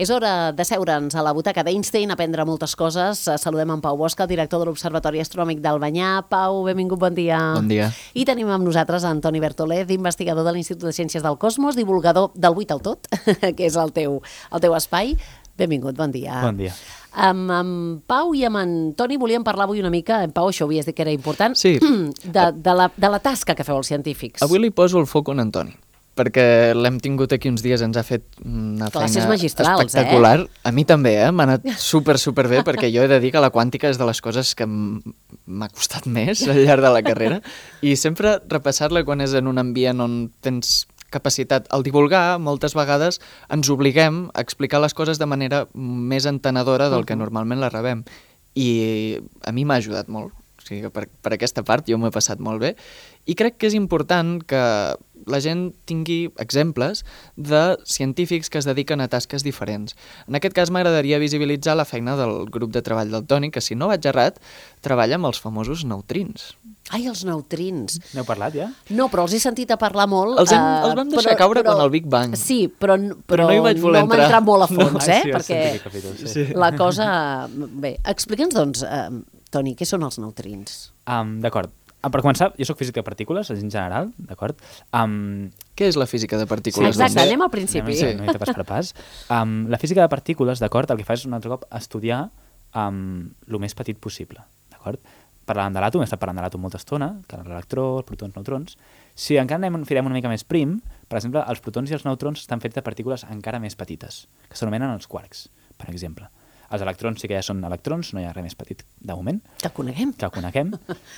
És hora de seure'ns a la butaca d'Einstein, aprendre moltes coses. Saludem en Pau Bosch, el director de l'Observatori Astronòmic d'Albanyà. Pau, benvingut, bon dia. Bon dia. I tenim amb nosaltres Antoni Bertolez, investigador de l'Institut de Ciències del Cosmos, divulgador del 8 al tot, que és el teu espai. Benvingut, bon dia. Bon dia. Amb Pau i amb en Toni volíem parlar avui una mica, en Pau això havies dit que era important, sí. de la tasca que feu els científics. Avui li poso el foc a en Antoni, perquè l'hem tingut aquí uns dies, ens ha fet una Classes feina magistrals, espectacular. A mi també, m'ha anat superbé, perquè jo he de dir que la quàntica és de les coses que m'ha costat més al llarg de la carrera, i sempre repassar-la quan és en un ambient on tens capacitat. Al divulgar, moltes vegades ens obliguem a explicar les coses de manera més entenedora del que normalment la rebem. I a mi m'ha ajudat molt. O sigui que per aquesta part jo m'ho he passat molt bé. I crec que és important que la gent tingui exemples de científics que es dediquen a tasques diferents. En aquest cas m'agradaria visibilitzar la feina del grup de treball del Toni, que si no vaig errat, treballa amb els famosos neutrins. Ai, els neutrins. N'heu parlat ja? No, però els he sentit a parlar molt. Els vam deixar caure quan el Big Bang. Sí, però no hi vaig voler no m'ha entrat molt a fons, Sí, perquè la cosa... Bé, explica'ns, doncs, Toni, què són els neutrins? D'acord. Per començar, jo soc físic de partícules, en general, d'acord? Què és la física de partícules? Exacte, anem al principi. Sí, no hi ha pas per pas. La física de partícules, d'acord, el que fa és un altre cop estudiar el més petit possible, d'acord? Parlàvem de l'àtom, hem estat parlant de l'àtom molta estona, que l'electró, els protons, neutrons. Si encara firem una mica més prim, per exemple, els protons i els neutrons estan fets de partícules encara més petites, que s'anomenen els quarks, per exemple. Els electrons sí que ja són electrons, no hi ha res més petit de moment. Que coneguem.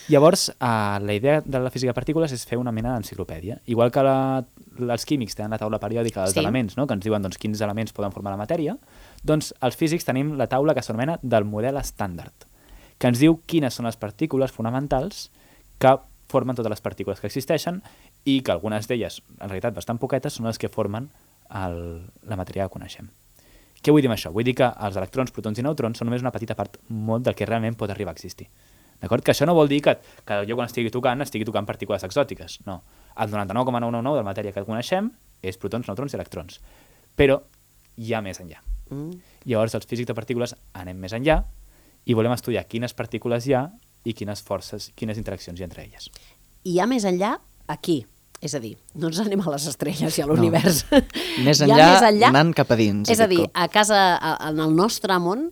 Llavors, la idea de la física de partícules és fer una mena d'enciclopèdia. Igual que els químics tenen la taula periòdica dels elements, no? Que ens diuen doncs, quins elements poden formar la matèria, doncs els físics tenim la taula que s'anomena del model estàndard, que ens diu quines són les partícules fonamentals que formen totes les partícules que existeixen i que algunes d'elles, en realitat bastant poquetes, són les que formen la matèria que coneixem. Què vull dir amb això? Vull dir que els electrons, protons i neutrons són només una petita part molt del que realment pot arribar a existir. D'acord? Que això no vol dir que jo quan estigui tocant partícules exòtiques. No. El 99,999 de la matèria que coneixem és protons, neutrons i electrons. Però hi ha més enllà. Llavors, els físics de partícules anem més enllà i volem estudiar quines partícules hi ha i quines forces, quines interaccions hi ha entre elles. Hi ha més enllà aquí. És a dir, no ens anem a les estrelles i a l'univers. Més enllà, anant cap a dins. És a dir, a casa, en el nostre món,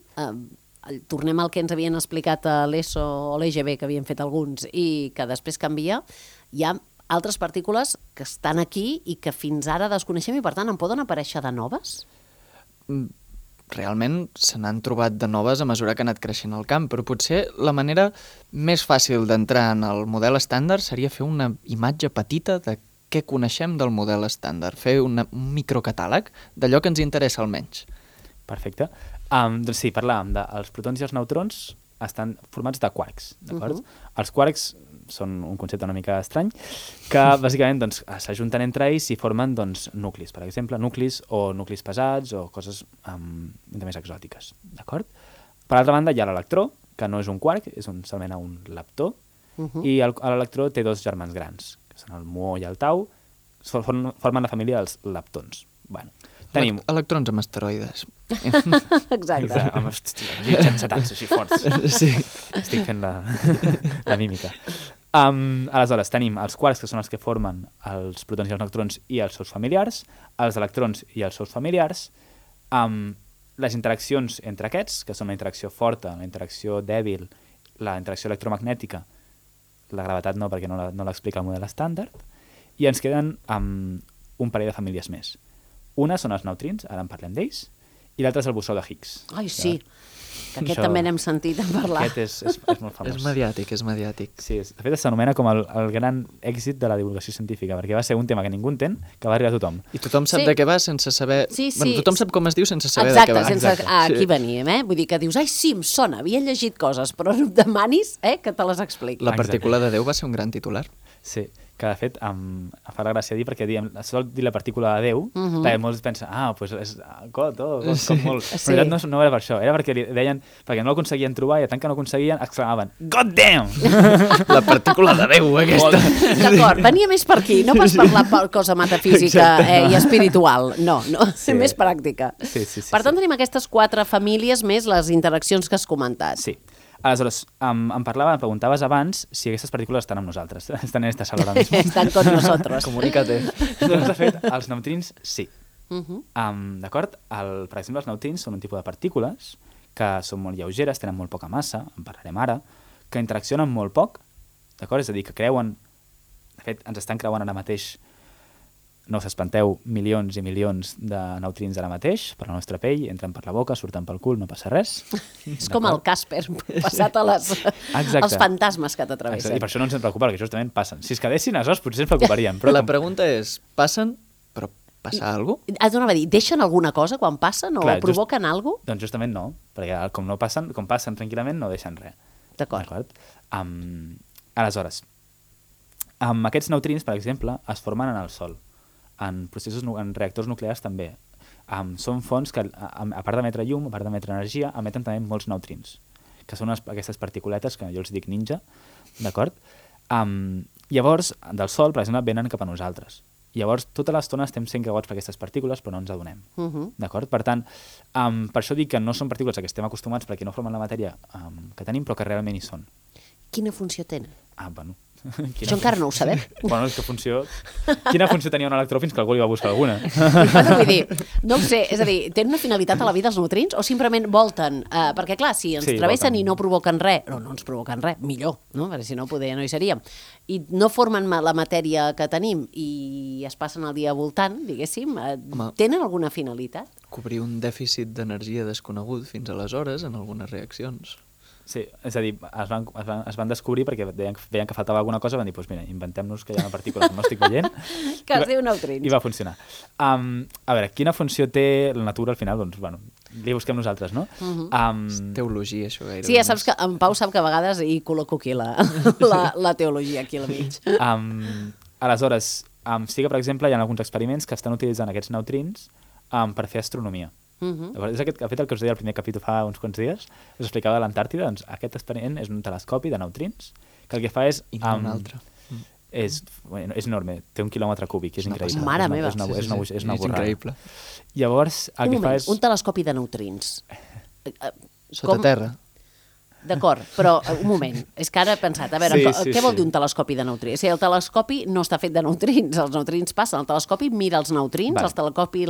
tornem al que ens havien explicat a l'ESO o l'EGB, que havien fet alguns, i que després canvia, hi ha altres partícules que estan aquí i que fins ara desconeixem i, per tant, en poden aparèixer de noves? Realment se n'han trobat de noves a mesura que ha anat creixent el camp, però potser la manera més fàcil d'entrar en el model estàndard seria fer una imatge petita de què coneixem del model estàndard, fer un microcatàleg d'allò que ens interessa almenys. Perfecte. Doncs sí, parlàvem dels protons i els neutrons estan formats de quarks, d'acord? Els quarks són un concepte una mica estrany, que bàsicament doncs, s'ajunten entre ells i formen doncs, nuclis, per exemple, nuclis o nuclis pesats o coses més exòtiques, d'acord? Per altra banda hi ha l'electró, que no és un quark, s'anomena un leptó, i l'electró té dos germans grans, que són el muó i el tau, formen la família dels leptons. Bueno, tenim... Electrons amb asteroides. Exacte. Amb setants així forts. Sí. Estic fent la mímica. Aleshores, tenim els quarks, que són els que formen els protons i els neutrons i els seus familiars, els electrons i els seus familiars, les interaccions entre aquests, que són la interacció forta, la interacció dèbil, la interacció electromagnètica, la gravetat no, perquè no l'explica el model estàndard, i ens queden un parell de famílies més. Una són els neutrins, ara en parlem d'ells, i l'altre és el bosó de Higgs. Ai, sí, que aquest també n'hem sentit a parlar. Aquest és molt famós. És mediàtic. Sí, de fet s'anomena com el gran èxit de la divulgació científica, perquè va ser un tema que ningú entén, que va arribar a tothom. I tothom sap de què va sense saber... Sí. Bueno, tothom sap com es diu sense saber de què va. Exacte, aquí veníem, Vull dir que dius, ai, sí, em sona, havia llegit coses, però no em demanis que te les expliqui. La partícula de Déu va ser un gran titular. Sí, que de fet em fa la gràcia dir, perquè sol dir la partícula de Déu, perquè molts pensen, doncs és God, com molt... Sí. Però no era per això, era perquè li deien, perquè no l'aconseguien trobar i tant que no aconseguien, exclamaven, God damn! La partícula de Déu, aquesta. D'acord, venia més per aquí, no pas per la cosa metafísica i espiritual, no, Sí. més pràctica. Sí, Per tant, tenim aquestes 4 famílies més les interaccions que has comentat. Sí. Aleshores, em preguntaves abans si aquestes partícules estan amb nosaltres. Estan en esta sala ara mismo. Estan con nosotros. Comunícate. Doncs, de fet, els neutrins sí. D'acord? Per exemple, els neutrins són un tipus de partícules que són molt lleugeres, tenen molt poca massa, en parlarem ara, que interaccionen molt poc, d'acord? És a dir, que creuen... De fet, ens estan creuant ara mateix, no us espanteu, milions i milions de neutrins ara mateix, per la nostra pell, entren per la boca, surten pel cul, no passa res. És com el Casper, passat als fantasmes que t'atravessen. I per això no ens en preocupa, perquè justament passen. Si es quedessin, aleshores potser ens preocuparíem. Però la pregunta és, passen, però passa alguna cosa? Has d'anar a dir, deixen alguna cosa quan passen o provoquen alguna cosa? Doncs justament no, perquè com passen tranquil·lament no deixen res. D'acord. Aleshores, aquests neutrins, per exemple, es formen en el Sol. En reactors nuclears també. Són fonts que, a part d'emetre llum, a part d'emetre energia, emeten també molts neutrins, que són aquestes particuletes que jo els dic ninja, d'acord? Llavors, del Sol, per exemple, venen cap a nosaltres. Llavors, tota l'estona estem sent creuats per aquestes partícules, però no ens adonem. D'acord? Per tant, per això dic que no són partícules a què estem acostumats perquè no formen la matèria que tenim, però que realment hi són. Quina funció tenen? Bueno... Això encara no ho sabem. Bueno, és que quina funció tenia un electró fins que algú li va buscar alguna? Bueno, vull dir, no ho sé, és a dir, tenen una finalitat a la vida els neutrins o simplement volten? Perquè clar, si ens travessen i no provoquen res, no ens provoquen res, millor, no? Perquè si no, poder no hi seríem. I no formen la matèria que tenim i es passen el dia voltant, diguéssim, tenen alguna finalitat? Cobrir un dèficit d'energia desconegut fins aleshores en algunes reaccions. Sí, és a dir, es van descobrir perquè veien que faltava alguna cosa, van dir, doncs mira, inventem-nos que hi ha una partícula que no estic veient. Que es diu neutrins. I va funcionar. A veure, quina funció té la natura al final? Doncs, bueno, li busquem nosaltres, no? És teologia, això gairebé. Sí, ja saps que en Pau sap que a vegades hi col·loco aquí la teologia aquí al mig. Aleshores, sí que, per exemple, hi ha alguns experiments que estan utilitzant aquests neutrins per fer astronomia. És aquest que el que us deia al primer capítol fa uns quants dies, us explicava de l'Antàrtida, doncs aquest experiment és un telescopi de neutrins que el que fa és... I no un altre. És enorme, té 1 quilòmetre cúbic, és increïble. Mare meva. És una borrada. És increïble. Llavors, el que fa és... Un telescopi de neutrins. Sota terra. D'acord, però un moment, és que ara he pensat, a veure, què vol dir un telescopi de neutrins? O sigui, el telescopi no està fet de neutrins, els neutrins passen, el telescopi mira els neutrins, el telescopi...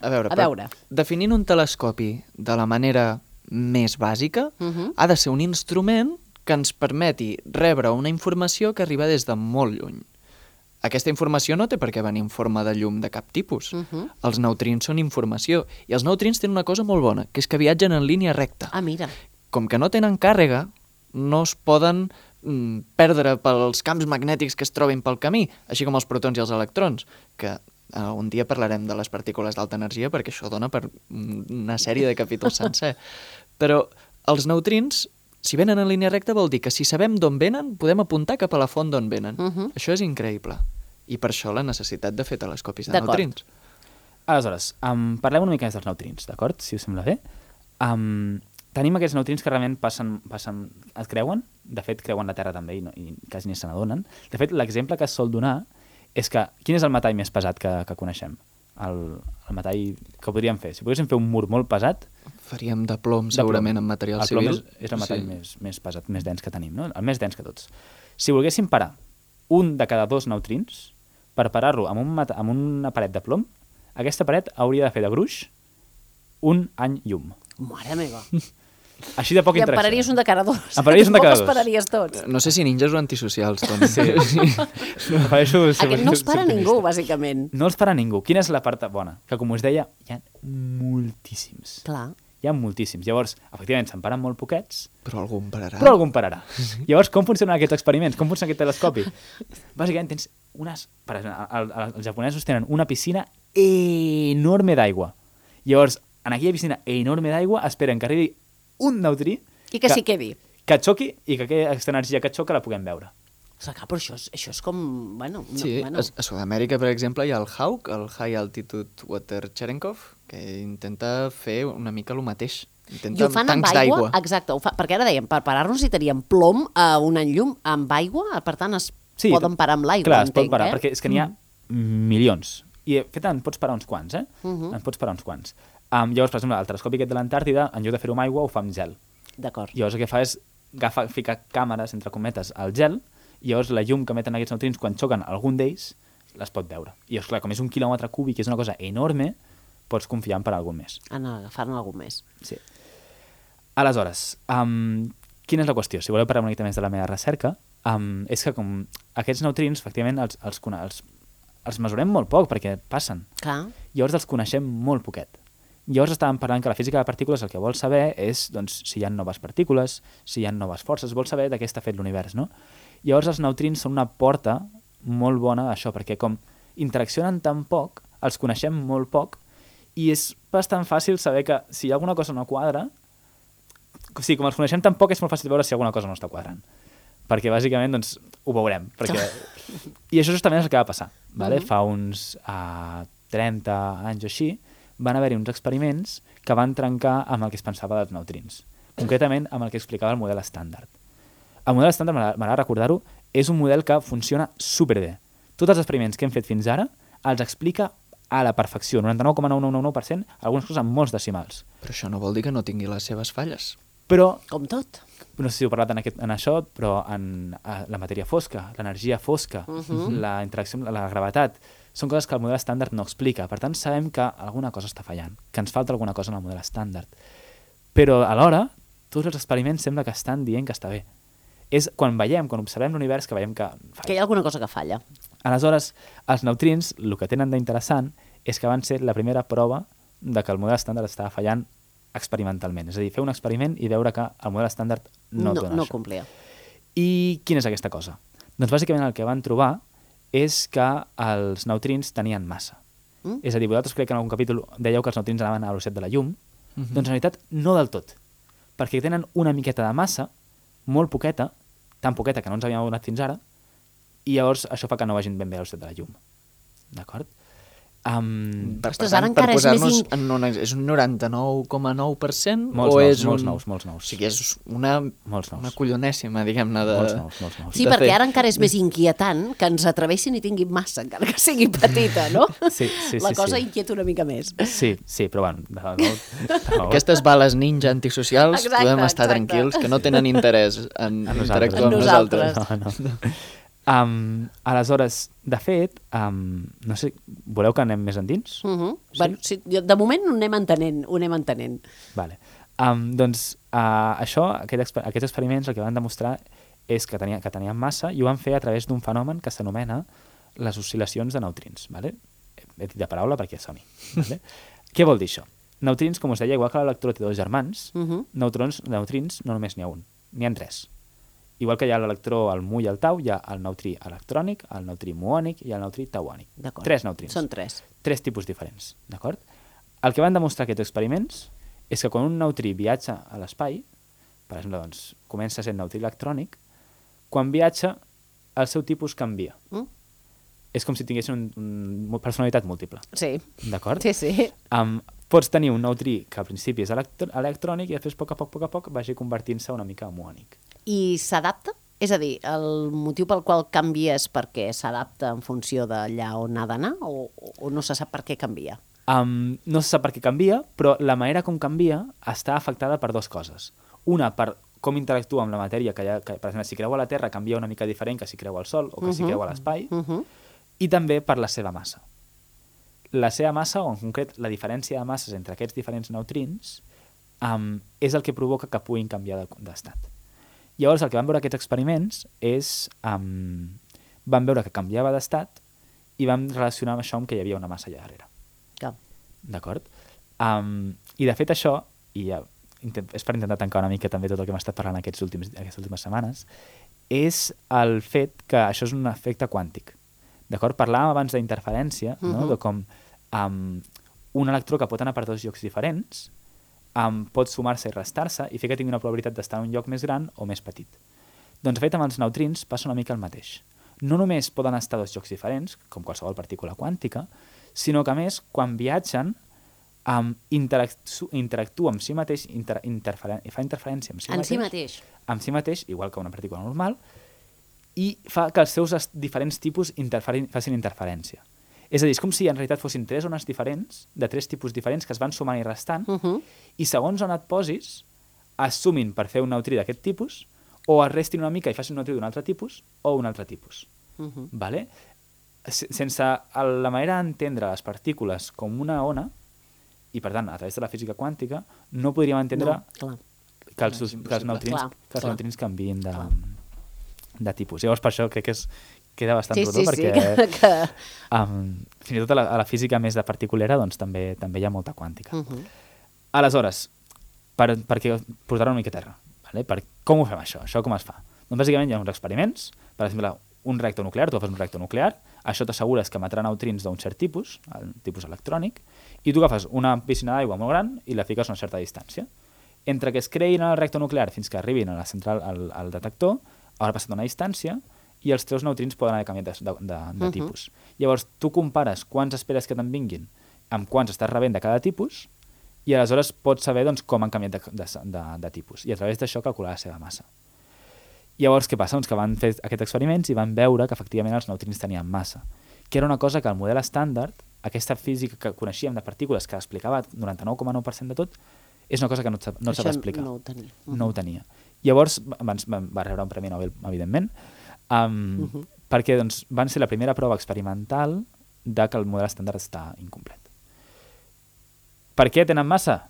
A veure, definint un telescopi de la manera més bàsica, ha de ser un instrument que ens permeti rebre una informació que arriba des de molt lluny. Aquesta informació no té per què venir en forma de llum de cap tipus. Els neutrins són informació, i els neutrins tenen una cosa molt bona, que és que viatgen en línia recta. Ah, mira. Com que no tenen càrrega, no es poden perdre pels camps magnètics que es trobin pel camí, així com els protons i els electrons, que un dia parlarem de les partícules d'alta energia perquè això dona per una sèrie de capítols sencer. Però els neutrins, si venen en línia recta, vol dir que si sabem d'on venen, podem apuntar cap a la font d'on venen. Això és increïble. I per això la necessitat de fer telescopis de neutrins. Aleshores, parlem una mica més dels neutrins, d'acord? Si us sembla bé. Tenim aquests neutrins que realment es creuen, de fet creuen la Terra també i quasi ni se n'adonen. De fet, l'exemple que es sol donar és que, quin és el metall més pesat que coneixem? El metall que podríem fer? Si poguéssim fer un mur molt pesat... Faríem de plom, segurament, en material civil. El plom és el metall més pesat, més dens que tenim, no? El més dens que tots. Si volguéssim parar un de cada 2 neutrins, per parar-lo amb una paret de plom, aquesta paret hauria de fer de gruix 1 any llum. Mare meva. Així de poc interessa. I em pararies un de cada 2. Em pararies un de cada 2. Els pararies tots. No sé si ninjas o antisocials, Toni. Aquest no els para ningú, bàsicament. No els para ningú. Quina és la part bona? Que, com us deia, hi ha moltíssims. Clar. Hi ha moltíssims. Llavors, efectivament, se'n paren molt poquets. Però algun pararà. Llavors, com funcionen aquests experiments? Com funciona aquest telescopi? Bàsicament, tens unes... Per exemple, els japonesos tenen una piscina enorme d'aigua. Llavors, en aquella piscina enorme d'aigua, esperen que arribi un neutrí... I que s'hi quedi. Que xoqui i que aquesta energia que xoca la puguem veure. Però això és com... Bueno, Sí, a Sud-amèrica, per exemple, hi ha el HAWC, el High Altitude Water Cherenkov, que intenta fer una mica el mateix. I ho fan amb aigua? Exacte, perquè ara dèiem, per parar-nos necessitaríem plom a un enllum amb aigua, per tant poden parar amb l'aigua, clar, es pot parar, perquè és que n'hi ha milions. I fet en pots parar uns quants, En pots parar uns quants. Llavors, per exemple, el telescopi aquest de l'Antàrtida, en lloc de fer-ho amb aigua, ho fa amb gel. D'acord. Llavors el que fa és ficar càmeres, entre cometes, al gel, i llavors la llum que emeten aquests neutrins, quan xoquen algun d'ells, les pot veure. I llavors, clar, com és 1 quilòmetre cúbic, és una cosa enorme, pots confiar en parar algun més. En agafar-ne algun més. Sí. Aleshores, quina és la qüestió? Si voleu parlar una mica més de la meva recerca, és que com aquests neutrins, efectivament, els mesurem molt poc perquè passen. Clar. Llavors els coneixem molt poquet. Llavors estàvem parlant que la física de partícules el que vol saber és doncs, si hi ha noves partícules, si hi ha noves forces, vol saber de què està fet l'univers, no? Llavors els neutrins són una porta molt bona d'això, perquè com interaccionen tan poc, els coneixem molt poc, i és bastant fàcil saber que si hi ha alguna cosa no quadra, o sigui, com els coneixem tan poc, és molt fàcil veure si alguna cosa no està quadrant. Perquè bàsicament doncs, ho veurem. I això justament és el que va passar. Vale? Fa uns 30 anys o així, van haver-hi uns experiments que van trencar amb el que es pensava dels neutrins. Concretament amb el que explicava el model estàndard. El model estàndard, m'agrada recordar-ho, és un model que funciona superbé. Tots els experiments que hem fet fins ara els explica a la perfecció, 99,9999%, algunes coses amb molts decimals. Però això no vol dir que no tingui les seves falles. Però, com tot. No sé si heu parlat en això, però en la matèria fosca, l'energia fosca, la interacció amb la gravetat, són coses que el model estàndard no explica. Per tant, sabem que alguna cosa està fallant, que ens falta alguna cosa en el model estàndard. Però alhora, tots els experiments sembla que estan dient que està bé. És quan observem l'univers, que veiem que falla. Que hi ha alguna cosa que falla. Aleshores, els neutrins, el que tenen d'interessant és que van ser la primera prova de que el model estàndard estava fallant experimentalment. És a dir, fer un experiment i veure que el model estàndard no dona no això. complia. I quina és aquesta cosa? Doncs bàsicament el que van trobar és que els neutrins tenien massa. És a dir, vosaltres crec que en algun capítol dèieu que els neutrins anaven a la velocitat de la llum, doncs en realitat no del tot, perquè tenen una miqueta de massa, molt poqueta, tan poqueta que no ens havíem adonat fins ara, i llavors això fa que no vagin ben bé a la velocitat de la llum. D'acord? Ostres, ara encara és més... És un 99,9% molts o nous, és molts nous. O sigui, és una collonèssima, diguem-ne, de... Molts nous. Sí, perquè ara encara és més inquietant que ens atreveixin i tinguin massa, encara que sigui petita, no? Sí. La cosa inquieta una mica més. Sí, però bueno... Aquestes bales ninja antisocials podem estar tranquils, que no tenen interès en interactuar amb nosaltres. No. Aleshores, de fet, no sé, voleu que anem més endins? Sí? Bueno, sí, de moment ho anem entenent. Vale. Doncs això, aquests experiments el que van demostrar és que tenien massa i ho van fer a través d'un fenomen que s'anomena les oscil·lacions de neutrins. Vale? He dit de paraula perquè soni. Vale? Què vol dir això? Neutrins, com us deia, igual que l'electró té dos germans, neutrins no només n'hi ha un, n'hi ha tres. Igual que hi ha l'electró, el mu i el tau, hi ha el neutrí electrònic, el neutrí muònic i el neutrí tauònic. 3 neutrins. Són 3. 3 tipus diferents, d'acord? El que van demostrar aquests experiments és que quan un neutrí viatja a l'espai, per exemple, doncs, comença sent neutrí electrònic, quan viatja, el seu tipus canvia. És com si tinguessin una personalitat múltiple. Sí. D'acord? Sí. Pots tenir un neutrí que al principi és electrònic i després, a poc a poc, vagi convertint-se una mica en muònic. I s'adapta? És a dir, el motiu pel qual canvia és perquè s'adapta en funció d'allà on ha d'anar o no se sap per què canvia? No se sap per què canvia, però la manera com canvia està afectada per dues coses. Una, per com interactua amb la matèria, que per exemple, si creu a la Terra canvia una mica diferent que si creu al Sol o que si creu a l'espai, i també per la seva massa. La seva massa, o en concret la diferència de masses entre aquests diferents neutrins, és el que provoca que puguin canviar d'estat. Llavors, el que van veure aquests experiments és... van veure que canviava d'estat i vam relacionar amb això amb que hi havia una massa allà darrere. D'acord? I de fet això, i és per intentar tancar una mica també tot el que hem estat parlant aquestes últimes setmanes, és el fet que això és un efecte quàntic. D'acord? Parlàvem abans d'interferència, no? De com un electró que pot anar per dos llocs diferents pot sumar-se i restar-se i fer que tingui una probabilitat d'estar en un lloc més gran o més petit. Doncs, de fet, amb els neutrins passa una mica el mateix. No només poden estar dos llocs diferents, com qualsevol partícula quàntica, sinó que, a més, quan viatgen, interactua amb si mateix, fa interferència amb si mateix, igual que una partícula normal, i fa que els seus diferents tipus facin interferència. És a dir, és com si en realitat fossin 3 ones diferents, de 3 tipus diferents, que es van sumant i restant, i segons on et posis, es sumin per fer un neutrí d'aquest tipus, o es restin una mica i facin un neutrí d'un altre tipus, o un altre tipus. Vale? Sense la manera d'entendre les partícules com una ona, i per tant, a través de la física quàntica, no podríem entendre que els neutrins canviïn de tipus. Llavors, per això crec que queda bastant rodó, perquè fins i tot a la física més de particulera doncs, també hi ha molta quàntica. Aleshores, perquè posar-ho una mica a terra, vale? Com ho fem això? Això com es fa? Doncs bàsicament hi ha uns experiments, per exemple, un reactor nuclear, tu fas un reactor nuclear, això t'assegures que emetrà neutrins d'un cert tipus, el tipus electrònic, i tu agafes una piscina d'aigua molt gran i la fiques a una certa distància. Entre que es creïn al reactor nuclear fins que arribin a la central, al detector, haurà passat una distància i els teus neutrins poden haver canviat de tipus. Llavors, tu compares quants esperes que te'n vinguin amb quants estàs rebent de cada tipus i aleshores pots saber doncs, com han canviat de tipus. I a través d'això calcular la seva massa. Llavors, què passa? Doncs que van fer aquests experiments i van veure que efectivament els neutrins tenien massa, que era una cosa que el model estàndard, aquesta física que coneixíem de partícules que explicava el 99,9% de tot, és una cosa que no s'ha d'explicar. No ho tenia. Llavors va rebre un premi Nobel, evidentment, perquè doncs, van ser la primera prova experimental de que el model estàndard està incomplet. Per què tenen massa?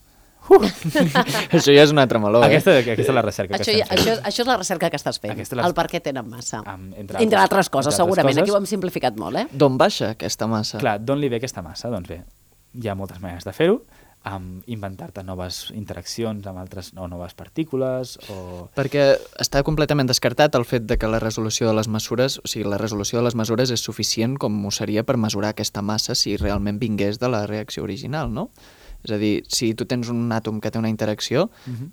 Això ja és un altre meló. Aquesta és la recerca que estem fent. Això és la recerca que estàs fent. El per què tenen massa. Entre altres coses, segurament. Aquí ho hem simplificat molt, D'on baixa aquesta massa? Clar, d'on li ve aquesta massa? Doncs bé, hi ha moltes maneres de fer-ho. Inventar-te noves interaccions amb altres o noves partícules o... Perquè està completament descartat el fet de que la resolució de les mesures, o sigui, la resolució de les mesures és suficient com ho seria per mesurar aquesta massa si realment vingués de la reacció original, no? És a dir, si tu tens un àtom que té una interacció,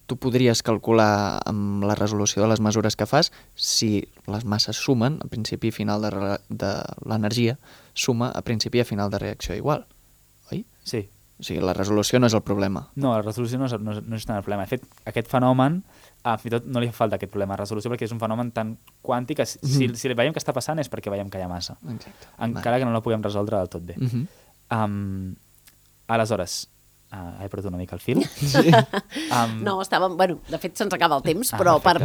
tu podries calcular amb la resolució de les mesures que fas si les masses sumen a principi i final de l'energia, suma a principi i a final de reacció igual, oi? Sí. O sigui, la resolució no és el problema. No, la resolució no és tant el problema. De fet, aquest fenomen, fins i tot no li fa falta aquest problema de resolució perquè és un fenomen tan quàntic que si veiem que està passant és perquè veiem que hi ha massa. Exacte. Encara que no la puguem resoldre del tot bé. Aleshores, he perdut una mica el fil. Sí. No, estàvem... Bueno, de fet, se'ns acaba el temps, però per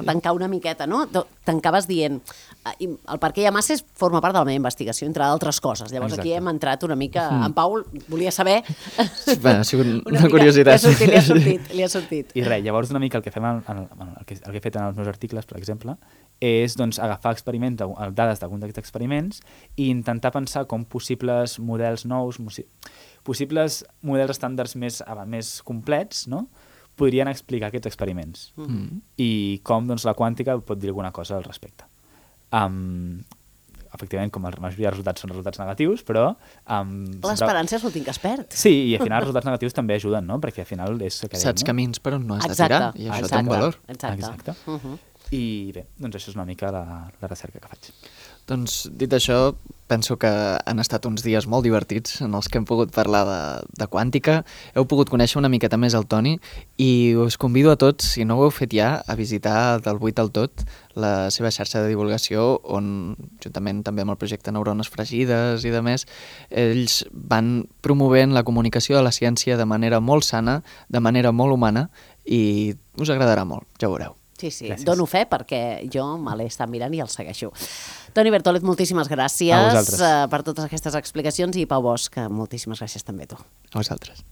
tancar una miqueta, no? Tancaves dient... El per què hi ha massa forma part de la meva investigació, entre altres coses. Llavors, aquí hem entrat una mica... En Pau volia saber... Ha sigut una curiositat. Li ha sortit. I res, llavors una mica el que fem, el que he fet en els meus articles, per exemple, és doncs, agafar experiments, dades d'algun d'aquests experiments i intentar pensar com possibles models nous, possibles models estàndards més complets, no? Podrien explicar aquests experiments. I com doncs, la quàntica pot dir alguna cosa al respecte. Efectivament, com la majoria de resultats són resultats negatius, però... L'esperança és l'últim que es perd. Sí, i al final els resultats negatius també ajuden, no? Perquè al final és... Saps camins per on no has de tirar, i això té un valor. Exacte. I bé, doncs això és una mica la recerca que faig. Doncs, dit això, penso que han estat uns dies molt divertits en els que hem pogut parlar de quàntica. Heu pogut conèixer una miqueta més el Toni i us convido a tots, si no ho heu fet ja, a visitar del 8 al tot la seva xarxa de divulgació on, juntament també amb el projecte Neurones Fregides i de més, ells van promovent la comunicació de la ciència de manera molt sana, de manera molt humana i us agradarà molt, ja ho veureu. Sí, dono fe perquè jo me l'he estat mirant i el segueixo. Toni Bertolet, moltíssimes gràcies per totes aquestes explicacions i Pau Bosch, moltíssimes gràcies també a tu. A vosaltres.